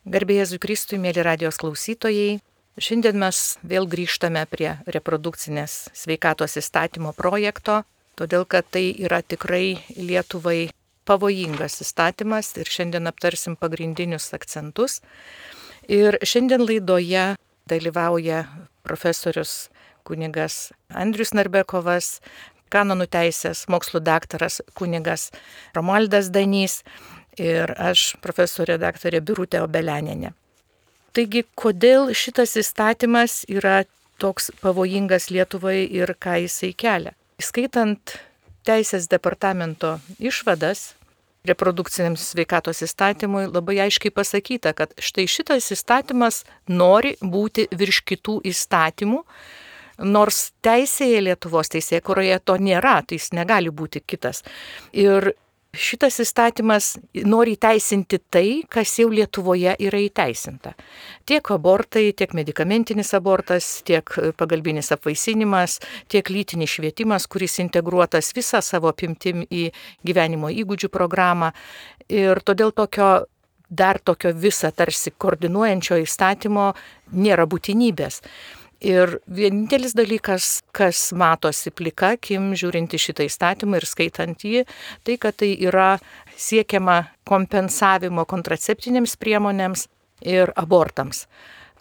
Garbė Jėzui Kristui, mėly radijos klausytojai, šiandien mes vėl grįžtame prie reprodukcinės sveikatos įstatymo projekto, todėl kad tai yra tikrai Lietuvai pavojingas įstatymas ir šiandien aptarsim pagrindinius akcentus. Ir šiandien laidoje dalyvauja profesorius kunigas Andrius Narbekovas, kanonų teisės mokslų daktaras kunigas Romualdas Danys ir aš, profesorė daktarė Birutė Obelianienė. Taigi, kodėl šitas įstatymas yra toks pavojingas Lietuvai ir ką jisai kelia? Skaitant Teisės departamento išvadas reprodukciniam sveikatos įstatymui labai aiškiai pasakyta, kad štai šitas įstatymas nori būti virš kitų įstatymų, nors teisėje Lietuvos teisėkūroje to nėra, tai jis negali būti kitas. Ir šitas įstatymas nori įteisinti tai, kas jau Lietuvoje yra įteisinta. Tiek abortai, tiek medikamentinis abortas, tiek pagalbinis apvaisinimas, tiek lytinis švietimas, kuris integruotas visą savo apimtim į gyvenimo įgūdžių programą. Ir todėl tokio visą tarsi koordinuojančio įstatymo nėra būtinybės. Ir vienintelis dalykas, kas matosi plika akim žiūrint į šitą įstatymą ir skaitant jį, tai kad tai yra siekiama kompensavimo kontraceptinėms priemonėms ir abortams.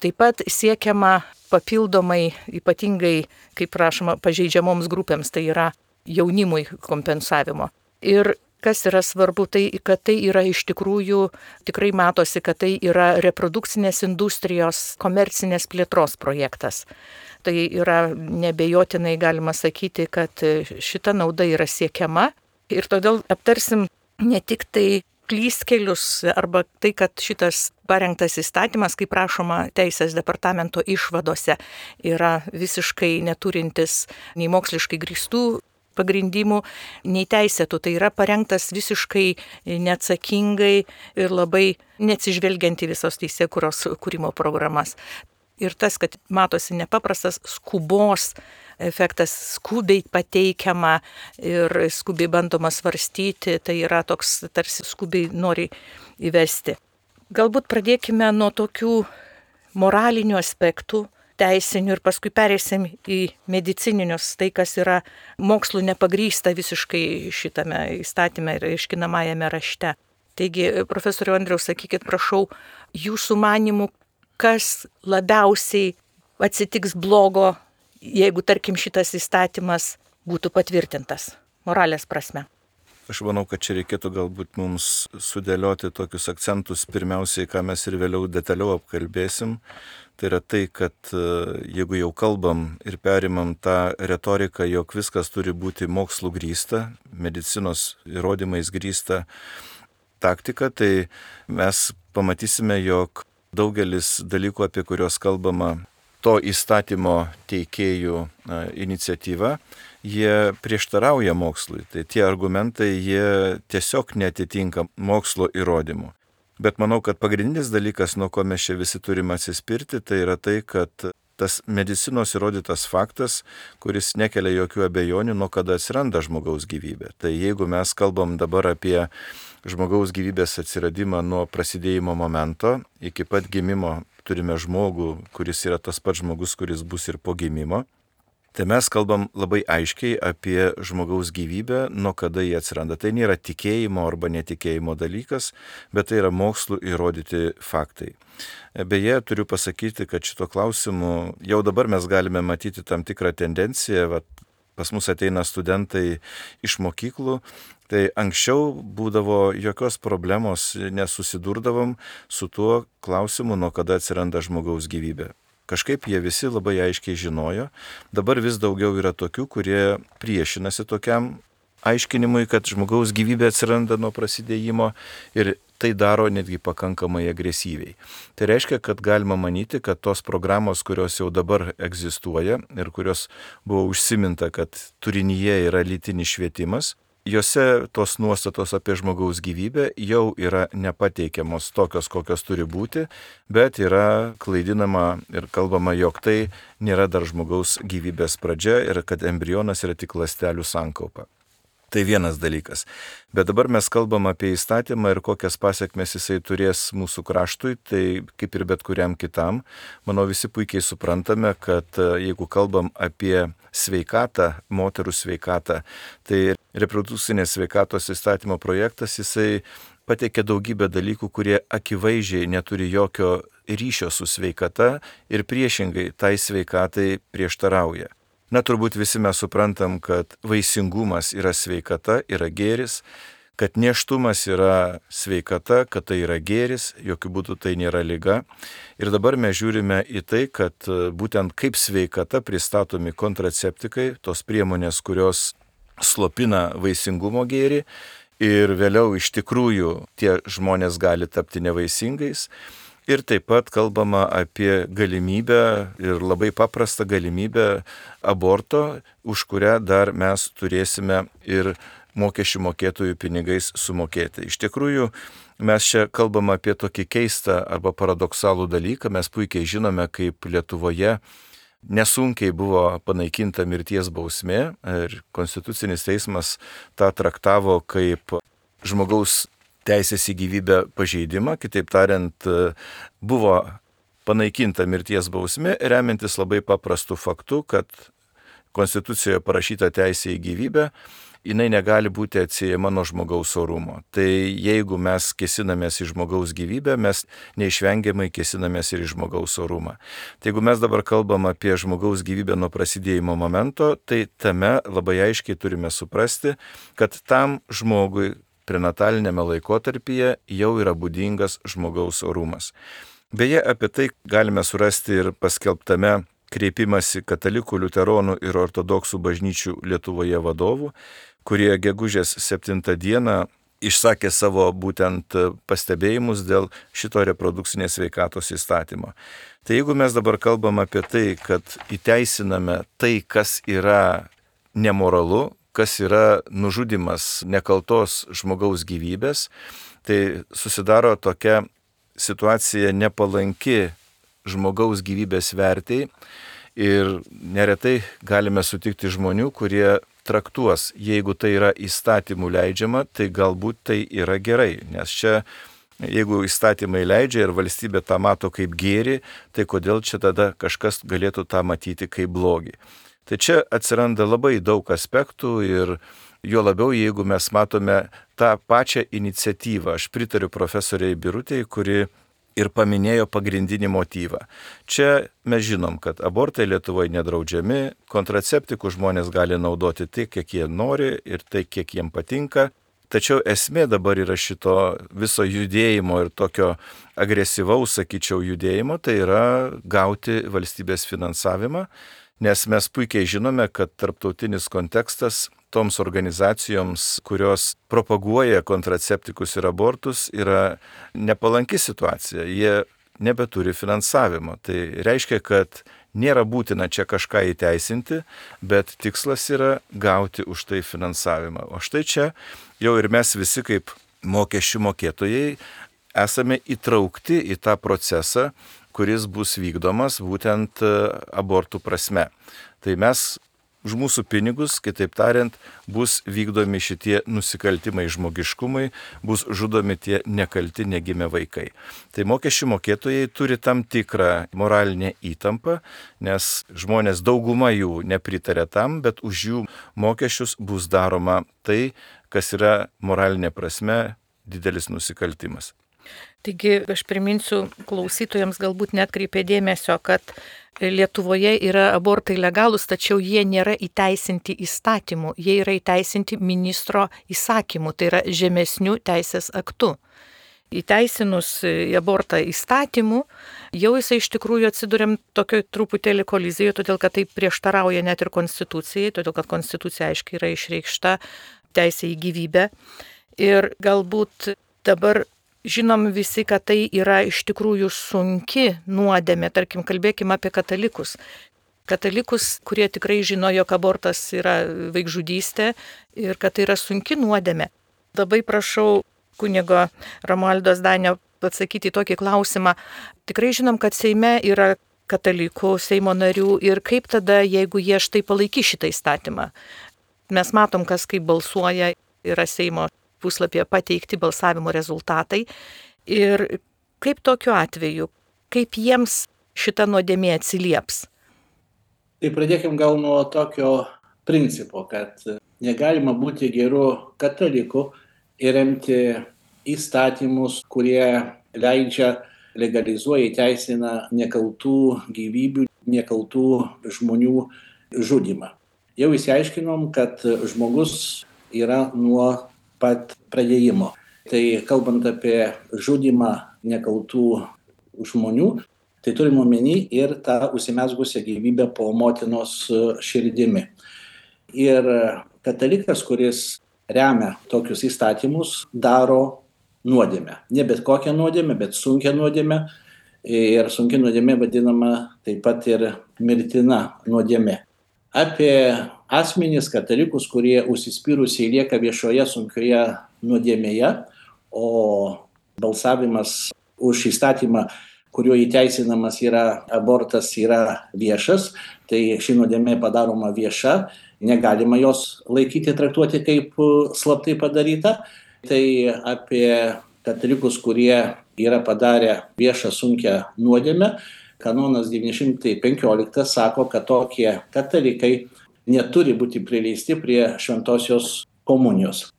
Taip pat siekiama papildomai, ypatingai, kaip prašoma, pažeidžiamoms grupėms, tai yra jaunimui kompensavimo. Ir kas yra svarbu, tai kad tai yra iš tikrųjų, tikrai matosi, kad tai yra reprodukcinės industrijos komercinės plėtros projektas. Tai yra nebejotinai galima sakyti, kad šita nauda yra siekiama ir todėl aptarsim ne tik tai klystkelius arba tai, kad šitas parengtas įstatymas, kaip prašoma Teisės departamento išvadose, yra visiškai neturintis nei moksliškai grįstų pagrindimų, nei teisėtų. Tai yra parengtas visiškai neatsakingai ir labai neatsižvelgiant į visos teisėkūros kūrimo programas. Ir tas, kad matosi nepaprastas skubos efektas, skubiai pateikiama ir skubiai bandoma svarstyti, tai yra toks tarsi skubiai nori įvesti. Galbūt pradėkime nuo tokių moralinių aspektų, teisinių ir paskui pereisim į medicininius, tai kas yra mokslų nepagrįsta visiškai šitame įstatyme ir aiškinamajame rašte. Taigi, profesoriau Andriau, sakykit, prašau, jūsų manimų, kas labiausiai atsitiks blogo, jeigu, tarkim, šitas įstatymas būtų patvirtintas moralės prasme? Aš manau, kad čia reikėtų galbūt mums sudėlioti tokius akcentus, pirmiausiai, ką mes ir vėliau detaliau apkalbėsim. Tai yra tai, kad jeigu jau kalbam ir perimam tą retoriką, jog viskas turi būti mokslų grįsta, medicinos įrodymais grįsta taktika, tai mes pamatysime, jog daugelis dalykų, apie kuriuos kalbama to įstatymo teikėjų iniciatyva, jie prieštarauja mokslui. Tai tie argumentai, jie tiesiog neatitinka mokslo įrodymų. Bet manau, kad pagrindinis dalykas, nuo ko mes čia visi turime atsispirti, tai yra tai, kad tas medicinos įrodytas faktas, kuris nekelia jokių abejonių, nuo kada atsiranda žmogaus gyvybė. Tai jeigu mes kalbam dabar apie žmogaus gyvybės atsiradimą nuo prasidėjimo momento, iki pat gimimo turime žmogų, kuris yra tas pats žmogus, kuris bus ir po gimimo, tai mes kalbam labai aiškiai apie žmogaus gyvybę, nuo kada jie atsiranda. Tai nėra tikėjimo arba netikėjimo dalykas, bet tai yra mokslų įrodyti faktai. Beje, turiu pasakyti, kad šito klausimu jau dabar mes galime matyti tam tikrą tendenciją. Pas mus ateina studentai iš mokyklų, tai anksčiau būdavo jokios problemos, nesusidurdavom su tuo klausimu, nuo kada atsiranda žmogaus gyvybė. Kažkaip jie visi labai aiškiai žinojo. Dabar vis daugiau yra tokių, kurie priešinasi tokiam aiškinimui, kad žmogaus gyvybė atsiranda nuo prasidėjimo ir tai daro netgi pakankamai agresyviai. Tai reiškia, kad galima manyti, kad tos programos, kurios jau dabar egzistuoja ir kurios buvo užsiminta, kad turinyje yra lytinis švietimas, jose tos nuostatos apie žmogaus gyvybę jau yra nepateikiamos tokios, kokios turi būti, bet yra klaidinama ir kalbama, jog tai nėra dar žmogaus gyvybės pradžia ir kad embrionas yra tik ląstelių sankaupa. Tai vienas dalykas. Bet dabar mes kalbam apie įstatymą ir kokias pasiekmes jisai turės mūsų kraštui, tai kaip ir bet kuriam kitam. Manau, visi puikiai suprantame, kad jeigu kalbam apie sveikatą, moterų sveikatą, tai reprodukcinės sveikatos įstatymo projektas, jisai pateikia daugybę dalykų, kurie akivaizdžiai neturi jokio ryšio su sveikata ir priešingai tai sveikatai prieštarauja. Na, turbūt visi mes suprantam, kad vaisingumas yra sveikata, yra gėris, kad nėštumas yra sveikata, kad tai yra gėris, jokių būdų tai nėra liga. Ir dabar mes žiūrime į tai, kad būtent kaip sveikata pristatomi kontraceptikai, tos priemonės, kurios slopina vaisingumo gėrį ir vėliau iš tikrųjų tie žmonės gali tapti nevaisingais. Ir taip pat kalbama apie galimybę ir labai paprastą galimybę aborto, už kurią dar mes turėsime ir mokesčių mokėtojų pinigais sumokėti. Iš tikrųjų, mes čia kalbam apie tokį keistą arba paradoksalų dalyką. Mes puikiai žinome, kaip Lietuvoje nesunkiai buvo panaikinta mirties bausmė ir Konstitucinis teismas tą traktavo kaip žmogaus teisės į gyvybę pažeidimą, kitaip tariant, buvo panaikinta mirties bausmė, remiantis labai paprastu faktu, kad Konstitucijoje parašyta teisė į gyvybę, jinai negali būti atsiejama nuo žmogaus orumo. Tai jeigu mes kėsinamės į žmogaus gyvybę, mes neišvengiamai kėsinamės ir į žmogaus orumą. Tai jeigu mes dabar kalbam apie žmogaus gyvybę nuo prasidėjimo momento, tai tame labai aiškiai turime suprasti, kad tam žmogui prenatalinėme laikotarpyje jau yra būdingas žmogaus orumas. Beje, apie tai galime surasti ir paskelbtame kreipimąsi katalikų, liuteronų ir ortodoksų bažnyčių Lietuvoje vadovų, kurie gegužės 7 dieną išsakė savo būtent pastebėjimus dėl šito reprodukcinės sveikatos įstatymo. Tai jeigu mes dabar kalbam apie tai, kad įteisiname tai, kas yra nemoralu, kas yra nužudimas nekaltos žmogaus gyvybės, tai susidaro tokia situacija nepalanki žmogaus gyvybės vertei ir neretai galime sutikti žmonių, kurie traktuos, jeigu tai yra įstatymų leidžiama, tai galbūt tai yra gerai, nes čia jeigu įstatymai leidžia ir valstybė tą mato kaip gėrį, tai kodėl čia tada kažkas galėtų tą matyti kaip blogį. Tai čia atsiranda labai daug aspektų ir jo labiau, jeigu mes matome tą pačią iniciatyvą. Aš pritariu profesoriai Birutei, kuri ir paminėjo pagrindinį motyvą. Čia mes žinom, kad abortai Lietuvoje nedraudžiami, kontraceptikų žmonės gali naudoti tik, kiek jie nori ir tai, kiek jiem patinka. Tačiau esmė dabar yra šito viso judėjimo ir tokio agresyvaus, sakyčiau, judėjimo, tai yra gauti valstybės finansavimą. Nes mes puikiai žinome, kad tarptautinis kontekstas toms organizacijoms, kurios propaguoja kontraceptikus ir abortus, yra nepalanki situacija. Jie nebeturi finansavimo. Tai reiškia, kad nėra būtina čia kažką įteisinti, bet tikslas yra gauti už tai finansavimą. O štai čia jau ir mes visi kaip mokesčių mokėtojai esame įtraukti į tą procesą, kuris bus vykdomas būtent abortų prasme. Tai mes už mūsų pinigus, kitaip tariant, bus vykdomi šitie nusikaltimai žmogiškumui, bus žudomi tie nekalti negimę vaikai. Tai mokesčių mokėtojai turi tam tikrą moralinę įtampą, nes žmonės dauguma jų nepritarė tam, bet už jų mokesčius bus daroma tai, kas yra moralinė prasme didelis nusikaltimas. Taigi aš priminsiu klausytojams, galbūt netkreipė dėmesio, kad Lietuvoje yra abortai legalūs, tačiau jie nėra įteisinti įstatymu, jie yra įteisinti ministro įsakymu, tai yra žemesnių teisės aktų. Įteisinus abortą įstatymu, jau jisai iš tikrųjų atsiduriam tokio truputėlį kolizijoje, todėl kad tai prieštarauja net ir konstitucijai, todėl kad konstitucija aiškiai yra išreikšta teisė į gyvybę. Ir galbūt dabar žinom visi, kad tai yra iš tikrųjų sunki nuodėmė, tarkim, kalbėkime apie katalikus. Katalikus, kurie tikrai žino, jog abortas yra vaikžudystė ir kad tai yra sunki nuodėmė. Labai prašau kunigo Romualdo Zdanio atsakyti į tokį klausimą. Tikrai žinom, kad Seime yra katalikų, Seimo narių ir kaip tada, jeigu jie štai palaikys šitą įstatymą. mes matom, kas kaip balsuoja, yra Seimo puslapyje pateikti balsavimo rezultatai. Ir kaip tokiu atveju, kaip jiems šita nuodėmė atsilieps? Tai pradėkim gal nuo tokio principo, kad negalima būti geru kataliku ir remti įstatymus, kurie leidžia, legalizuoja, įteisina nekaltų gyvybių, nekaltų žmonių žudymą. Jau išsiaiškinom, kad žmogus yra nuo pat pradėjimo. Tai kalbant apie žudymą nekaltų žmonių, tai turime omeny ir tą užsimezgusią gyvybę po motinos širdimi. Ir katalikas, kuris remia tokius įstatymus, daro nuodėmę. Ne bet kokią nuodėmę, bet sunkią nuodėmę. Ir sunki nuodėmė vadinama taip pat ir mirtina nuodėmė. Apie asmenys katalikus, kurie užsispyrusiai lieka viešoje sunkioje nuodėmėje, o balsavimas už įstatymą, kuriuo įteisinamas yra abortas, yra viešas, tai ši nuodėmė padaroma vieša, negalima jos laikyti, traktuoti kaip slaptai padaryta. Tai apie katalikus, kurie yra padarę viešą sunkią nuodėmę, kanonas 915 sako, kad tokie katalikai neturi būti prileisti prie šventosios komunijos.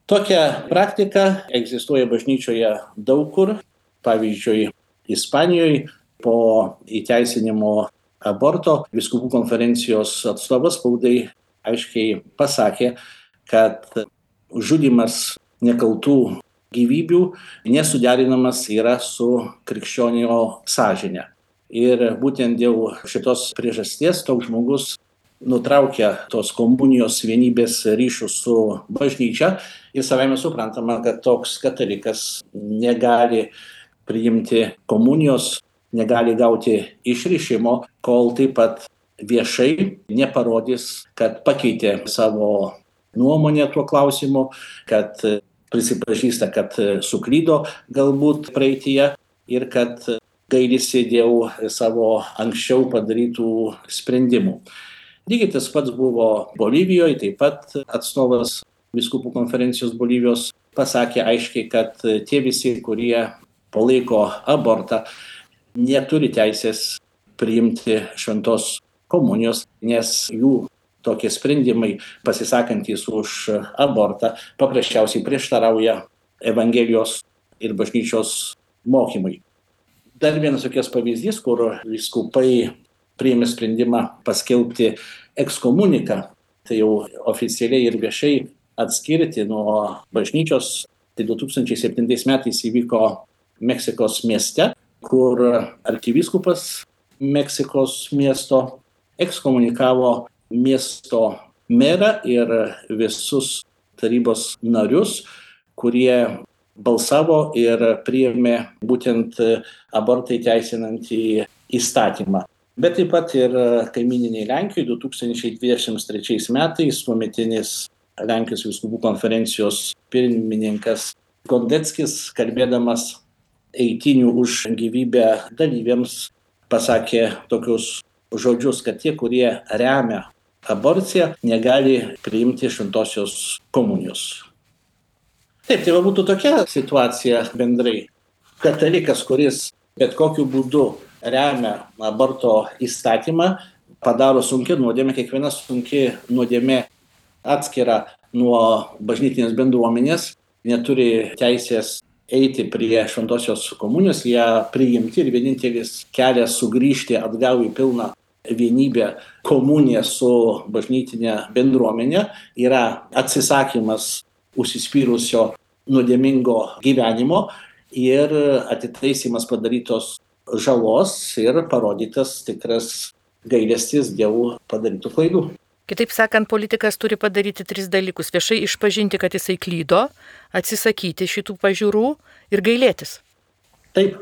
Tokia praktika egzistuoja bažnyčioje daug kur, pavyzdžiui, Ispanijoje po įteisinimo aborto vyskupų konferencijos atstovas spaudai aiškiai pasakė, kad žudymas nekaltų gyvybių nesuderinamas yra su krikščionio sąžine. Ir būtent dėl šitos priežasties toks žmogus nutraukia tos komunijos vienybės ryšius su bažnyčia ir savaime suprantama, kad toks katalikas negali priimti komunijos, negali gauti išrišimo, kol taip pat viešai neparodys, kad pakeitė savo nuomonę tuo klausimu, kad prisipažįsta, kad suklydo galbūt praeityje ir kad gailisi dėl savo anksčiau padarytų sprendimų. Lygiai tas pats buvo Bolivijoje, taip pat atstovas vyskupų konferencijos Bolivijos pasakė aiškiai, kad tie visi, kurie palaiko abortą, neturi teisės priimti šventos komunijos, nes jų tokie sprendimai pasisakantys už abortą paprasčiausiai prieštarauja Evangelijos ir bažnyčios mokymui. Dar vienas tokias pavyzdys, kur vyskupai priėmė sprendimą paskelbti ekskomuniką, tai jau oficialiai ir viešai atskirti nuo bažnyčios. Tai 2007 metais įvyko Meksikos mieste, kur arkivyskupas Meksikos miesto ekskomunikavo miesto merą ir visus tarybos narius, kurie balsavo ir priėmė būtent abortą įteisinantį įstatymą. Bet taip pat ir kaimyniniai Lenkijoje 2023 metais tuometinis Lenkijos vyskupų konferencijos pirmininkas Gondeckis, kalbėdamas eitynių už gyvybę dalyviams, pasakė tokius žodžius, kad tie, kurie remia aborciją, negali priimti šventosios komunijos. Taip, tai būtų tokia situacija bendrai. Katalikas, kuris bet kokiu būdu remia aborto įstatymą, padaro sunkią nuodėmę. Kiekviena sunki nuodėmė atskira nuo bažnytinės bendruomenės, neturi teisės eiti prie šventosios komunijos, ją priimti ir vienintelis kelias sugrįžti atgal į pilną vienybę, komuniją su bažnytinė bendruomenė yra atsisakymas užsispyrusio nuodėmingo gyvenimo ir atitaisimas padarytos žalos ir parodytas tikras gailestis dėl padarytų klaidų. Kitaip sakant, politikas turi padaryti 3 dalykus. Viešai išpažinti, kad jisai klydo, atsisakyti šitų pažiūrų ir gailėtis. Taip.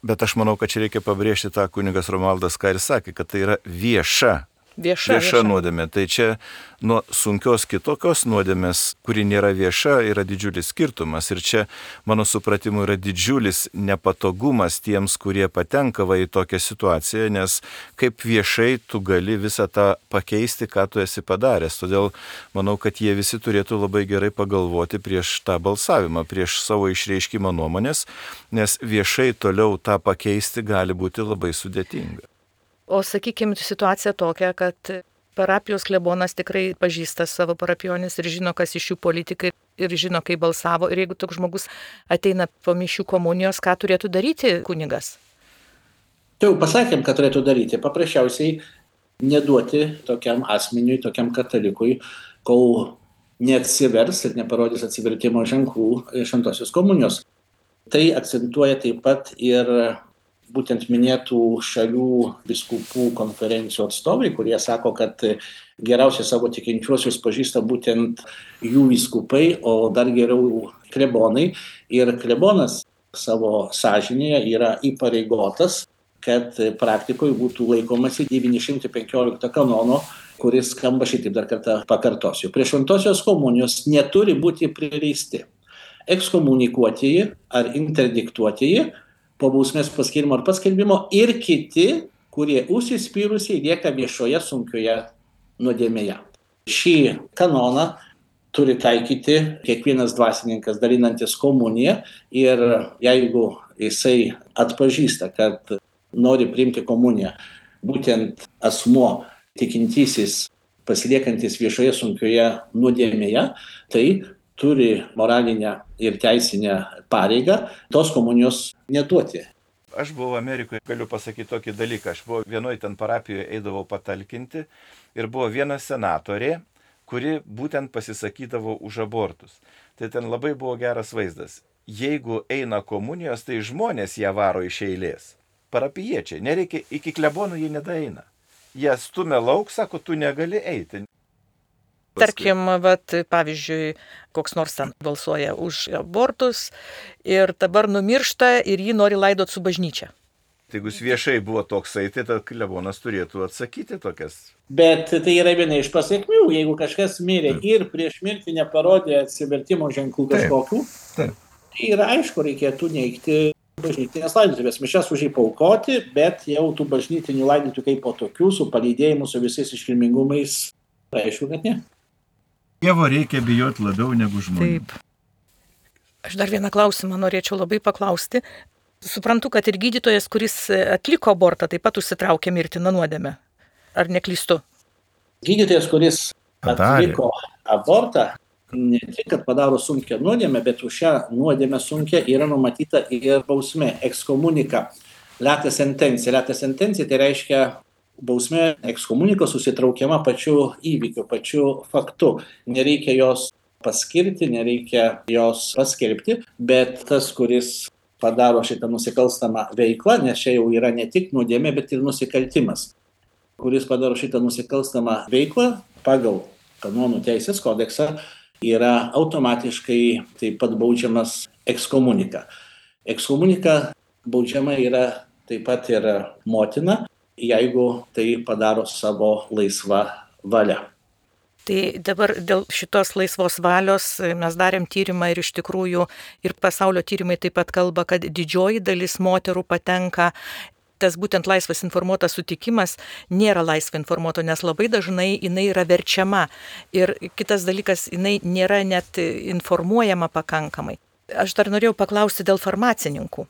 Bet aš manau, kad čia reikia pabrėžti tą kunigas Romualdas, ką ir sakė, kad tai yra vieša Vieša. nuodėmė. Tai čia nuo sunkios kitokios nuodėmės, kuri nėra vieša, yra didžiulis skirtumas. Ir čia, mano supratimu, yra didžiulis nepatogumas tiems, kurie patenka į tokią situaciją, nes kaip viešai tu gali visą tą pakeisti, ką tu esi padaręs. Todėl manau, kad jie visi turėtų labai gerai pagalvoti prieš tą balsavimą, prieš savo išreiškimą nuomonės, nes viešai toliau tą pakeisti gali būti labai sudėtinga. O sakykime, situacija tokia, kad parapijos klebonas tikrai pažįsta savo parapionis ir žino, kas iš jų politikai ir žino, kaip balsavo. Ir jeigu toks žmogus ateina po mišių komunijos, ką turėtų daryti kunigas? Tai jau pasakėm, ką turėtų daryti. Paprasčiausiai neduoti tokiam asmeniui, tokiam katalikui, kol neatsivers ir neparodys atsivertimo ženklų šventosios komunijos. Tai akcentuoja taip pat ir būtent minėtų šalių vyskupų konferencijų atstovai, kurie sako, kad geriausiai savo tikinčiuosius pažįsta būtent jų vyskupai, o dar geriau klebonai. Ir klebonas savo sąžinėje yra įpareigotas, kad praktikoje būtų laikomasi 915 kanono, kuris skamba šitaip, dar kartą pakartosiu. Prie šventosios komunijos neturi būti prileisti ekskomunikuotieji ar interdiktuotieji po bausmės paskirimo ar paskelbimo ir kiti, kurie užsispyrusiai lieka viešoje sunkioje nuodėmėje. Šį kanoną turi taikyti kiekvienas dvasininkas dalinantis komuniją ir jeigu jisai atpažįsta, kad nori priimti komuniją būtent asmuo tikintysis pasiliekantis viešoje sunkioje nuodėmėje, tai turi moralinę ir teisinę pareigą tos komunijos neduoti. Aš buvau Amerikoje, galiu pasakyti tokį dalyką. Aš buvau vienoje ten parapijoje, eidavau patalkinti ir buvo viena senatorė, kuri būtent pasisakydavo už abortus. Tai ten labai buvo geras vaizdas. Jeigu eina komunijos, tai žmonės ją varo iš eilės. Parapijiečiai, nereikia, iki klebonų jie nedaeina. Jie stumia lauk, sako, tu negali eiti. Tarkim, pavyzdžiui, koks nors ten balsuoja už abortus ir dabar numiršta ir jį nori laidot su bažnyčia. Tai jeigu viešai buvo toksai, tai tas klebonas turėtų atsakyti tokias. Bet tai yra viena iš pasiekmių, jeigu kažkas mirė ir prieš mirtį neparodė atsivertimo ženklų kažkokių, tai yra aišku, reikėtų neigti bažnytinės laidotuvės. Mišias už jį paaukoti, bet jau tų bažnytinių laidotuvių kaip po tokių, su palydėjimu, su visais iškilmingumais, aišku, kad ne. Dievo reikia bijoti labiau negu žmonių. Taip. Aš dar vieną klausimą norėčiau labai paklausti. Suprantu, kad ir gydytojas, kuris atliko abortą, taip pat užsitraukė mirtiną nuodėmę. Ar neklystu? Gydytojas, kuris atliko abortą, ne tik, kad padaro sunkią nuodėmę, bet už šią nuodėmę sunkią yra numatyta ir bausmė, ekskomunika, lata sentencija. Lata sentencija tai reiškia bausmė ekskomunikos susitraukiama pačiu įvykiu, pačiu faktu. Nereikia jos paskirti, nereikia jos paskelbti, bet tas, kuris padaro šitą nusikalstamą veiklą, nes čia jau yra ne tik nuodėmė, bet ir nusikaltimas, kuris padaro šitą nusikalstamą veiklą pagal kanonų teisės kodeksą, yra automatiškai taip pat baudžiamas ekskomunika. Ekskomunika baudžiama yra taip pat ir motina, jeigu tai padaro savo laisvą valią. Tai dabar dėl šitos laisvos valios mes darėm tyrimą ir iš tikrųjų ir pasaulio tyrimai taip pat kalba, kad didžioji dalis moterų patenka. Tas būtent laisvas informuotas sutikimas nėra laisvai informuoto, nes labai dažnai jinai yra verčiama. Ir kitas dalykas, jinai nėra net informuojama pakankamai. Aš dar norėjau paklausti dėl farmacininkų,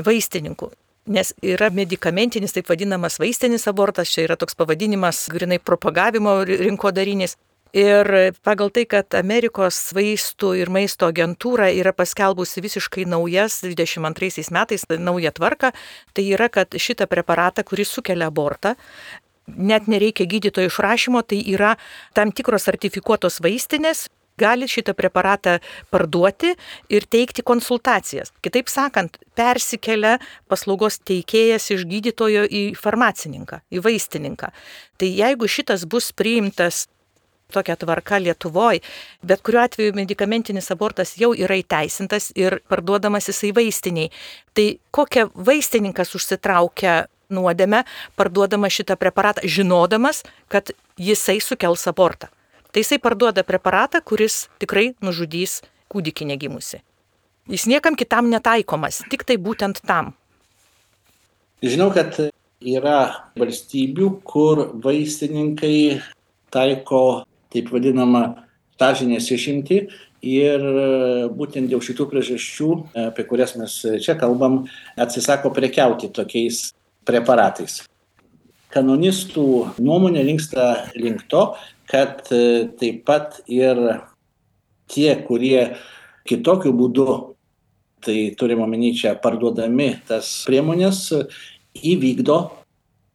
vaistininkų. Nes yra medikamentinis, taip vadinamas vaistinis abortas, čia yra toks pavadinimas, grinai propagavimo rinkodarinis. Ir pagal tai, kad Amerikos vaistų ir maisto agentūra yra paskelbusi visiškai naujas 22 metais naują tvarką, tai yra, kad šitą preparatą, kuris sukelia abortą, net nereikia gydytojo išrašymo, tai yra tam tikros sertifikuotos vaistinės, gali šitą preparatą parduoti ir teikti konsultacijas. Kitaip sakant, persikelia paslaugos teikėjas iš gydytojo į farmacininką, į vaistininką. Tai jeigu šitas bus priimtas tokia tvarka Lietuvoje, bet kuriuo atveju medikamentinis abortas jau yra įteisintas ir parduodamas jisai vaistiniai. Tai kokia vaistininkas užsitraukia nuodėmę, parduodama šitą preparatą, žinodamas, kad jisai sukels abortą. Tai jisai parduoda preparatą, kuris tikrai nužudys kūdikį negimusi. Jis niekam kitam netaikomas, tik tai būtent tam. Žinau, kad yra valstybių, kur vaistininkai taiko taip vadinamą sąžinės išimtį ir būtent dėl šitų priežasčių, apie kurias mes čia kalbam, atsisako prekiauti tokiais preparatais. Kanonistų nuomonė linksta link to, kad taip pat ir tie, kurie kitokiu būdu, tai turime omeny čia parduodami tas priemonės, įvykdo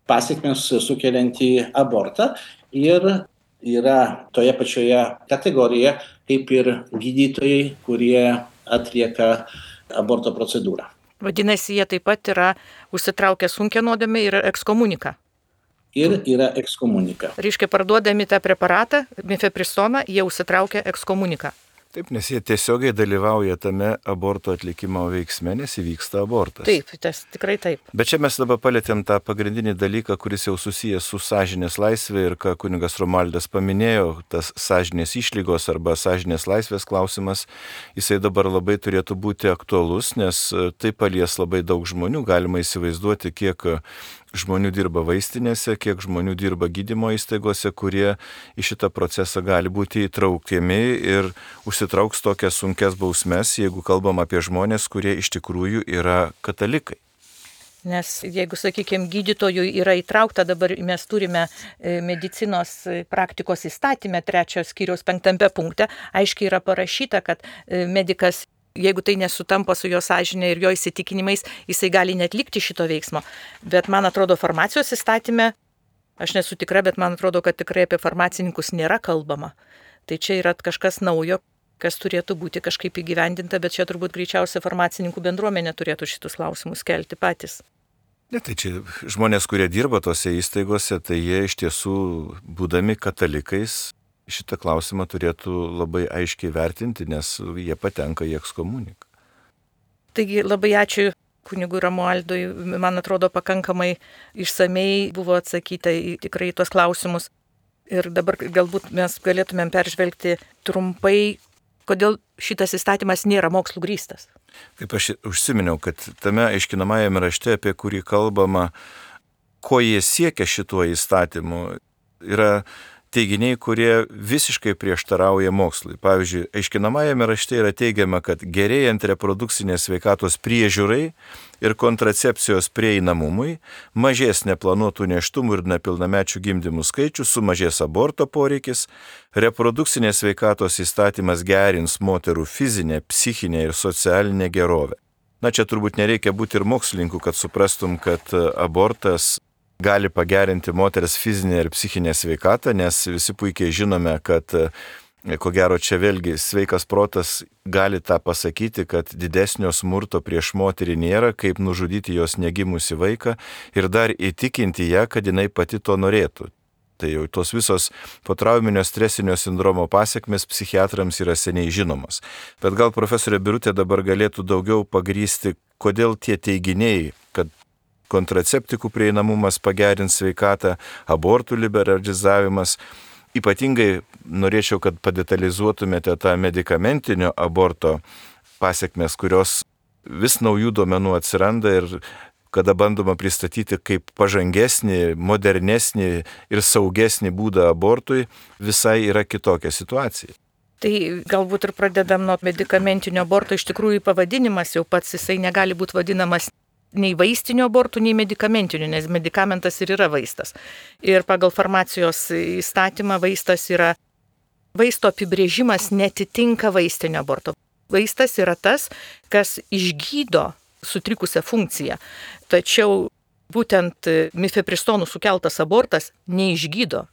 pasekmes sukeliantį abortą ir yra toje pačioje kategorijoje kaip ir gydytojai, kurie atlieka aborto procedūrą. Vadinasi, jie taip pat yra užsitraukę sunkią nuodėmę ir ekskomuniką. Ir yra ekskomunika. Reiškia, parduodami tą preparatą, mifepristoną, jie užsitraukia ekskomuniką. Taip, nes jie tiesiogiai dalyvauja tame aborto atlikimo veiksme, nes įvyksta abortas. Taip, tas tikrai taip. Bet čia mes dabar palėtėm tą pagrindinį dalyką, kuris jau susijęs su sąžinės laisvė ir ką kunigas Romualdas paminėjo, tas sąžinės išlygos arba sąžinės laisvės klausimas, jisai dabar labai turėtų būti aktualus, nes tai palies labai daug žmonių, galima įsivaizduoti, kiek žmonių dirba vaistinėse, kiek žmonių dirba gydymo įstaigose, kurie į šitą procesą gali būti įtraukiami ir užsitrauks tokias sunkias bausmes, jeigu kalbam apie žmonės, kurie iš tikrųjų yra katalikai. Nes jeigu, sakykime, gydytojui yra įtraukta, dabar mes turime medicinos praktikos įstatyme 3 skyriaus 5 punkte, aiškiai yra parašyta, kad medikas, jeigu tai nesutampa su jo sąžinė ir jo įsitikinimais, jisai gali netlikti šito veiksmo. Bet man atrodo, farmacijos įstatyme, aš nesu tikra, bet man atrodo, kad tikrai apie farmacininkus nėra kalbama. Tai čia yra kažkas naujo, kas turėtų būti kažkaip įgyvendinta, bet čia turbūt greičiausiai farmacininkų bendruomenė turėtų šitus klausimus kelti patys. Ne, tai čia žmonės, kurie dirba tose įstaigose, tai jie iš tiesų, būdami katalikais, šitą klausimą turėtų labai aiškiai vertinti, nes jie patenka į ekskomuniką. Taigi labai ačiū kunigui Romualdui, man atrodo pakankamai išsamei buvo atsakyta į tikrai tuos klausimus. Ir dabar galbūt mes galėtumėm peržvelgti trumpai, kodėl šitas įstatymas nėra mokslų grįstas. Kaip aš užsiminiau, kad tame aiškinamajame rašte, apie kurį kalbama, ko jie siekia šituo įstatymu, yra teiginiai, kurie visiškai prieštarauja mokslui. Pavyzdžiui, aiškinamajame rašte yra teigiama, kad gerėjant reprodukcinės sveikatos priežiūrai ir kontracepcijos prieinamumui, mažės neplanuotų nėštumų ir nepilnamečių gimdymų skaičius, sumažės aborto poreikis, reprodukcinės sveikatos įstatymas gerins moterų fizinę, psichinę ir socialinę gerovę. Na, čia turbūt nereikia būti ir mokslininkų, kad suprastum, kad abortas gali pagerinti moters fizinę ir psichinę sveikatą, nes visi puikiai žinome, kad, ko gero, čia vėlgi sveikas protas gali tą pasakyti, kad didesnio smurto prieš moterį nėra, kaip nužudyti jos negimusi vaiką ir dar įtikinti ją, kad jinai pati to norėtų. Tai jau tos visos potrauminio stresinio sindromo pasekmės psichiatrams yra seniai žinomos. Bet gal profesorė Birutė dabar galėtų daugiau pagrįsti, kodėl tie teiginiai, kad kontraceptikų prieinamumas pagerins sveikatą, abortų liberalizavimas. Ypatingai norėčiau, kad padetalizuotumėte tą medikamentinio aborto pasekmes, kurios vis naujų duomenų atsiranda ir kada bandoma pristatyti kaip pažangesnį, modernesnį ir saugesnį būdą abortui, visai yra kitokia situacija. Tai galbūt ir pradedam nuo medikamentinio aborto. Iš tikrųjų pavadinimas jau pats jisai negali būti vadinamas nei vaistinio abortų, nei medikamentinių, nes medikamentas ir yra vaistas. Ir pagal farmacijos įstatymą vaisto apibrėžimas netitinka vaistinio aborto. Vaistas yra tas, kas išgydo sutrikusią funkciją. Tačiau būtent mifepristonų sukeltas abortas neišgydo,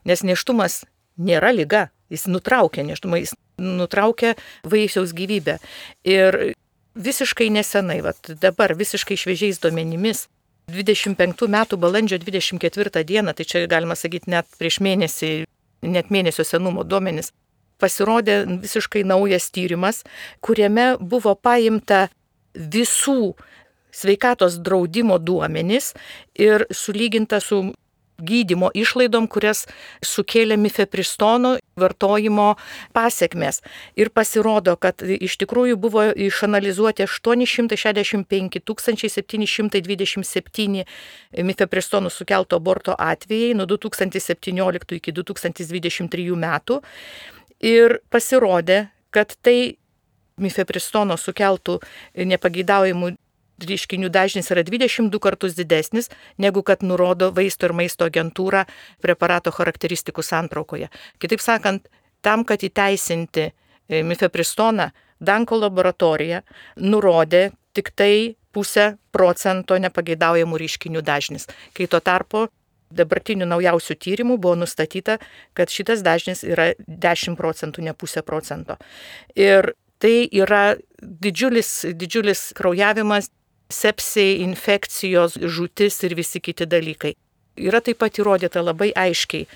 nes nėštumas nėra liga, jis nutraukia nėštumą, jis nutraukia vaisiaus gyvybę. Ir visiškai nesenai, dabar visiškai šviežiais duomenimis, 25 metų balandžio 24 dieną, tai čia galima sakyti net prieš mėnesį, net mėnesio senumo duomenis, pasirodė visiškai naujas tyrimas, kuriame buvo paimta visų sveikatos draudimo duomenys ir sulyginta su gydymo išlaidom, kurias sukėlė mifepristono vartojimo pasekmės. Ir pasirodo, kad iš tikrųjų buvo išanalizuoti 865 727 mifepristonų sukelto aborto atvejai nuo 2017 iki 2023 metų. Ir pasirodė, kad tai mifepristono sukeltų nepageidaujamų reiškinių dažnis yra 22 kartus didesnis, negu kad nurodo Vaisto ir maisto agentūra preparato charakteristikų santraukoje. Kitaip sakant, tam, kad įteisinti mifepristoną, Danko laboratorija nurodė tik tai 0,5% nepageidaujamų reiškinių dažnis, kai tuo tarpu dabartinių naujausių tyrimų buvo nustatyta, kad šitas dažnis yra 10%, ne 0,5%. Ir tai yra didžiulis kraujavimas, sepsiai, infekcijos, žūtis ir visi kiti dalykai. Yra taip pat įrodyta labai aiškiai,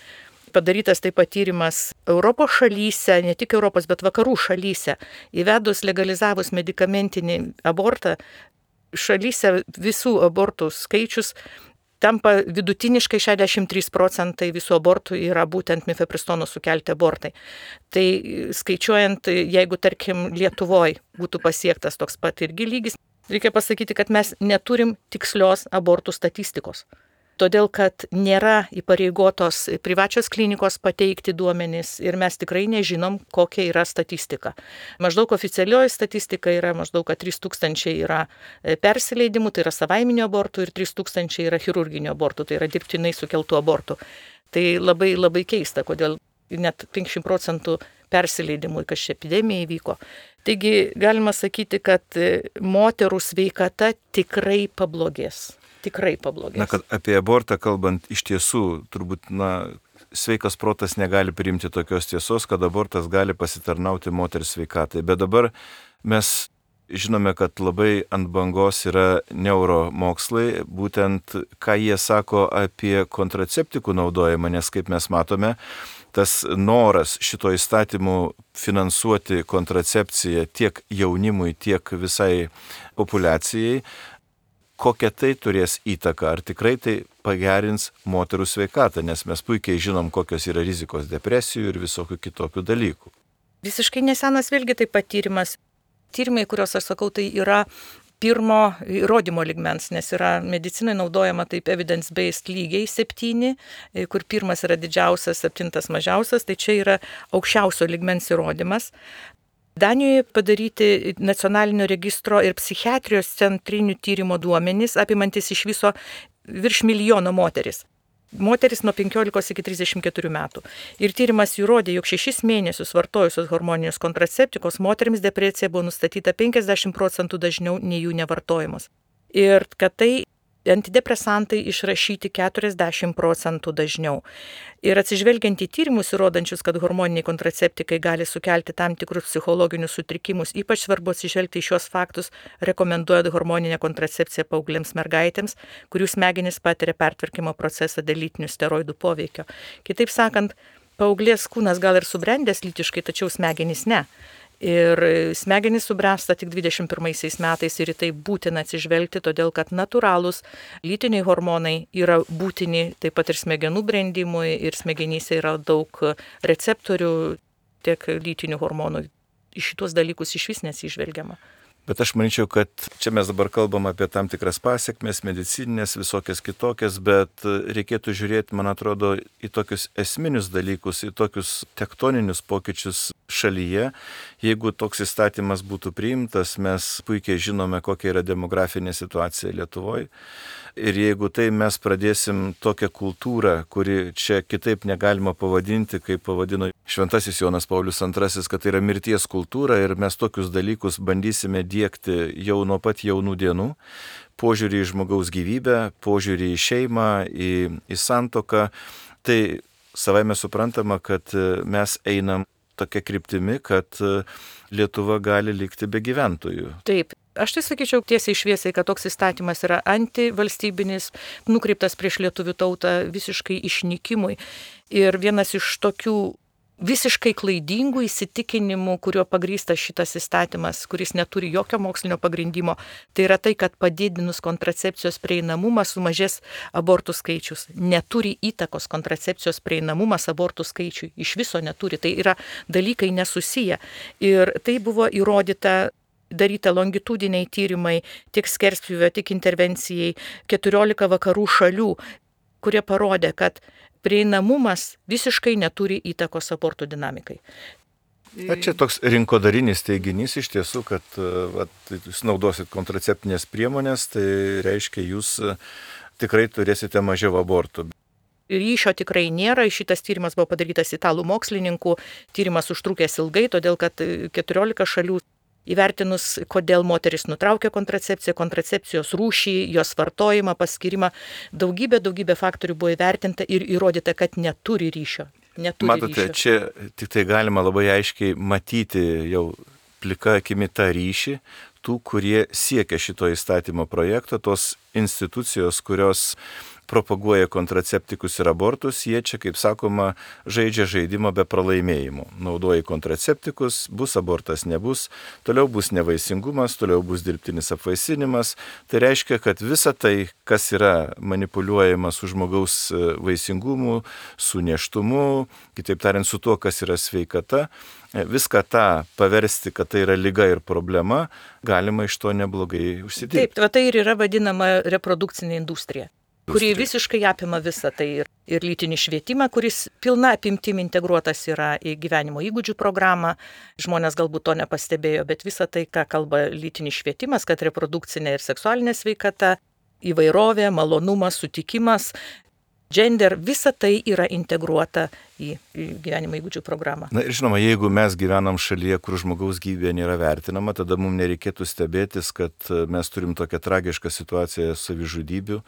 padarytas taip pat tyrimas Europos šalyse, ne tik Europos, bet vakarų šalyse, įvedus legalizavus medikamentinį abortą, šalyse visų abortų skaičius tampa vidutiniškai 63% visų abortų yra būtent mifepristono sukelti abortai. Tai skaičiuojant, jeigu tarkim Lietuvoje būtų pasiektas toks pat irgi lygis, reikia pasakyti, kad mes neturim tikslios abortų statistikos. Todėl, kad nėra įpareigotos privačios klinikos pateikti duomenys ir mes tikrai nežinom, kokia yra statistika. Maždaug oficialioji statistika yra maždaug, kad 3000 yra persileidimų, tai yra savaiminių abortų, ir 3000 yra chirurginių abortų, tai yra dirbtinai sukeltų abortų. Tai labai, labai keista, kodėl net 50% persileidimų, kas ši epidemija įvyko. Taigi galima sakyti, kad moterų sveikata tikrai pablogės. Na, kad apie abortą kalbant, iš tiesų, turbūt, sveikas protas negali priimti tokios tiesos, kad abortas gali pasitarnauti moters sveikatai. Bet dabar mes žinome, kad labai ant bangos yra neuromokslai, būtent ką jie sako apie kontraceptikų naudojimą, nes kaip mes matome, tas noras šito įstatymu finansuoti kontracepciją tiek jaunimui, tiek visai populiacijai, kokią tai turės įtaką, ar tikrai tai pagerins moterų sveikatą, nes mes puikiai žinom, kokios yra rizikos depresijų ir visokių kitokių dalykų. Visiškai nesenas vėlgi taip pat tyrimas. Tyrimai, kuriuos aš sakau, tai yra pirmo įrodymo lygmens, nes yra medicinai naudojama taip evidence-based lygiai 7, kur pirmas yra didžiausias, 7 mažiausias, tai čia yra aukščiausio lygmens įrodymas. Danijoje padaryti nacionalinio registro ir psichiatrijos centrinių tyrimo duomenys, apimantis iš viso virš 1 milijono moteris. Moteris nuo 15 iki 34 metų. Ir tyrimas įrodė, jog 6 mėnesius vartojusios hormoninės kontraceptikos moterims depresija buvo nustatyta 50% dažniau nei jų nevartojimas. Ir kad tai antidepresantai išrašyti 40% dažniau. Ir atsižvelgiant į tyrimus įrodančius, kad hormoniniai kontraceptikai gali sukelti tam tikrus psichologinius sutrikimus, ypač svarbu atsižvelgti į šios faktus, rekomenduoja hormoninę kontracepciją paauglėms mergaitėms, kurių smegenys patiria pertvarkymo procesą dėl lytinių steroidų poveikio. Kitaip sakant, paauglės kūnas gal ir subrendęs lytiškai, tačiau smegenys ne. Ir smegenys subręsta tik 21 metais ir į tai būtina atsižvelgti, todėl kad natūralūs lytiniai hormonai yra būtini taip pat ir smegenų brendimui, ir smegenyse yra daug receptorių tiek lytinių hormonų. Į šitos dalykus iš vis nesižvelgiama. Bet aš manyčiau, kad čia mes dabar kalbam apie tam tikras pasiekmes, medicininės, visokias kitokias, bet reikėtų žiūrėti, man atrodo, į tokius esminius dalykus, į tokius tektoninius pokyčius šalyje. Jeigu toks įstatymas būtų priimtas, mes puikiai žinome, kokia yra demografinė situacija Lietuvoje. Ir jeigu tai mes pradėsim tokią kultūrą, kuri čia kitaip negalima pavadinti, kaip pavadino Šventasis Jonas Paulius II, kad tai yra mirties kultūra ir mes tokius dalykus bandysime diegti jau nuo pat jaunų dienų, požiūrį į žmogaus gyvybę, požiūrį į šeimą, į santuoką, tai savaime suprantama, kad mes einam tokia kryptimi, kad Lietuva gali likti be gyventojų. Taip. Aš tai sakyčiau tiesiai šviesiai, kad toks įstatymas yra antivalstybinis, nukreiptas prieš lietuvių tautą visiškai išnykimui. Ir vienas iš tokių visiškai klaidingų įsitikinimų, kuriuo pagrįstas šitas įstatymas, kuris neturi jokio mokslinio pagrindimo. Tai yra tai, kad padidinus kontracepcijos prieinamumą sumažės abortų skaičius. Neturi įtakos kontracepcijos prieinamumas abortų skaičiui. Iš viso neturi. Tai yra dalykai nesusiję. Ir tai buvo įrodyta, daryta longitudiniai tyrimai tiek skerspjūvio, tiek intervencijai 14 vakarų šalių, kurie parodė, kad prieinamumas visiškai neturi įtakos abortų dinamikai. Čia toks rinkodarinis teiginys iš tiesų, kad jūs naudosit kontraceptinės priemonės, tai reiškia, jūs tikrai turėsite mažiau abortų. Ryšio tikrai nėra, šitas tyrimas buvo padarytas italų mokslininkų, tyrimas užtrukęs ilgai, todėl kad 14 šalių įvertinus, kodėl moteris nutraukia kontracepciją, kontracepcijos rūšį, jos vartojimą, paskirimą, daugybė faktorių buvo įvertinta ir įrodyta, kad neturi ryšio. Matote, čia tik tai galima labai aiškiai matyti jau plika akimi tą ryšį tų, kurie siekia šito įstatymo projekto, tos institucijos, kurios propaguoja kontraceptikus ir abortus, jie čia, kaip sakoma, žaidžia žaidimą be pralaimėjimų. Naudoja kontraceptikus, bus abortas, nebus, toliau bus nevaisingumas, toliau bus dirbtinis apvaisinimas. Tai reiškia, kad visa tai, kas yra manipuliuojama su žmogaus vaisingumu, su nėštumu, kitaip tariant, su tuo, kas yra sveikata, viską tą paversti, kad tai yra liga ir problema, galima iš to neblogai užsidirbti. Taip, tai ir yra vadinama reprodukcinė industrija, kuri visiškai apima visą tai ir lytinį švietimą, kuris pilna apimtim integruotas yra į gyvenimo įgūdžių programą. Žmonės galbūt to nepastebėjo, bet visa tai, ką kalba lytinis švietimas, kad reprodukcinė ir seksualinė sveikata, įvairovė, malonumas, sutikimas, gender, visa tai yra integruota į gyvenimo įgūdžių programą. Na ir žinoma, jeigu mes gyvenam šalyje, kur žmogaus gyvybė nėra vertinama, tada mums nereikėtų stebėtis, kad mes turim tokią tragišką situaciją savižudybių,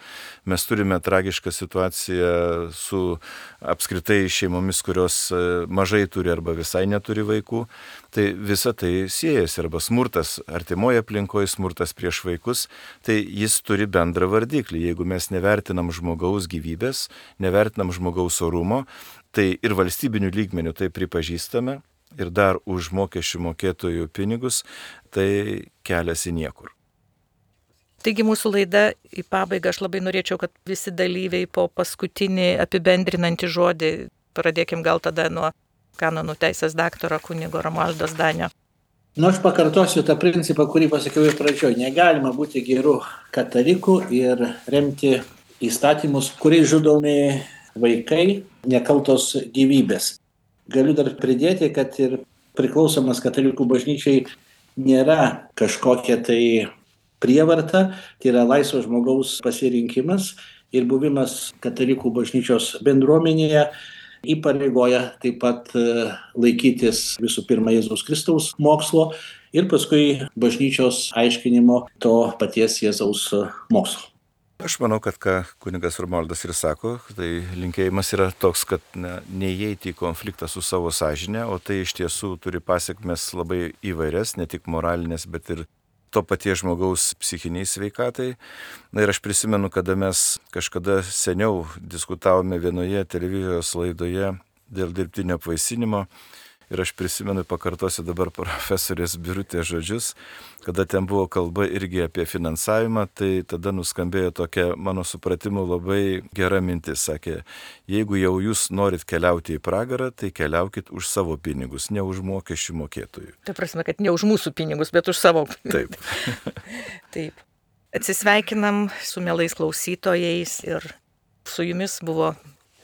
mes turime tragišką situaciją su apskritai šeimomis, kurios mažai turi arba visai neturi vaikų. Tai visa tai siejasi, arba smurtas artimoje aplinkoje, smurtas prieš vaikus, tai jis turi bendrą vardiklį. Jeigu mes nevertinam žmogaus gyvybės, nevertinam žmogaus orumo, tai ir valstybinių lygmenių tai pripažįstame ir dar už mokesčių mokėtojų pinigus, tai kelias į niekur. Taigi mūsų laida į pabaigą, aš labai norėčiau, kad visi dalyviai po paskutinį apibendrinantį žodį, pradėkim gal tada nuo kanonų teisės daktaro kunigo Romualdo Zdanio. Aš pakartosiu tą principą, kurį pasakiau ir pradžioje. Negalima būti gerų katalikų ir remti įstatymus, kuriais žudomi vaikai, nekaltos gyvybės. Galiu dar pridėti, kad ir priklausomas katalikų bažnyčiai nėra kažkokia tai prievarta, tai yra laisvo žmogaus pasirinkimas ir buvimas katalikų bažnyčios bendruomenėje įpareigoja taip pat laikytis visų pirma Jėzaus Kristaus mokslo ir paskui bažnyčios aiškinimo to paties Jėzaus mokslo. Aš manau, kad ką kunigas Romualdas ir sako, tai linkėjimas yra toks, kad neįeiti į konfliktą su savo sąžine, o tai iš tiesų turi pasiekmes labai įvairias, ne tik moralinės, bet ir to paties žmogaus psichiniai sveikatai. Na ir aš prisimenu, kada mes kažkada seniau diskutavome vienoje televizijos laidoje dėl dirbtinio apvaisinimo. Ir aš prisimenu, pakartosiu dabar profesorės Birutės žodžius, kada ten buvo kalba irgi apie finansavimą, tai tada nuskambėjo tokia, mano supratimu, labai gera mintis. Sakė, jeigu jau jūs norit keliauti į pragarą, tai keliaukit už savo pinigus, ne už mokesčių mokėtojų. Tai prasme, kad ne už mūsų pinigus, bet už savo. Taip. Taip. Atsisveikinam su mielais klausytojais ir su jumis buvo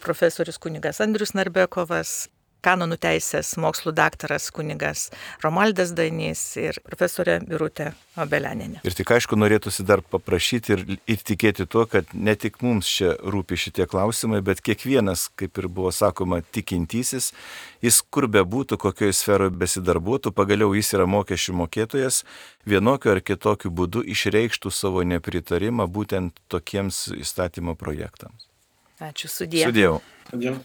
profesorius kunigas Andrius Narbekovas, kanonų teisės mokslų daktaras kunigas Romualdas Zdanys ir profesorė Birutė Obelianinė. Ir tik aišku, norėtųsi dar paprašyti ir tikėti tuo, kad ne tik mums čia rūpi šitie klausimai, bet kiekvienas, kaip ir buvo sakoma, tikintysis, jis kur bebūtų, kokioje sferoje besidarbuotų, pagaliau jis yra mokesčių mokėtojas, vienokiu ar kitokiu būdu išreikštų savo nepritarimą būtent tokiems įstatymo projektams. Ačiū, sudie. Sudėjau. Sudėjau.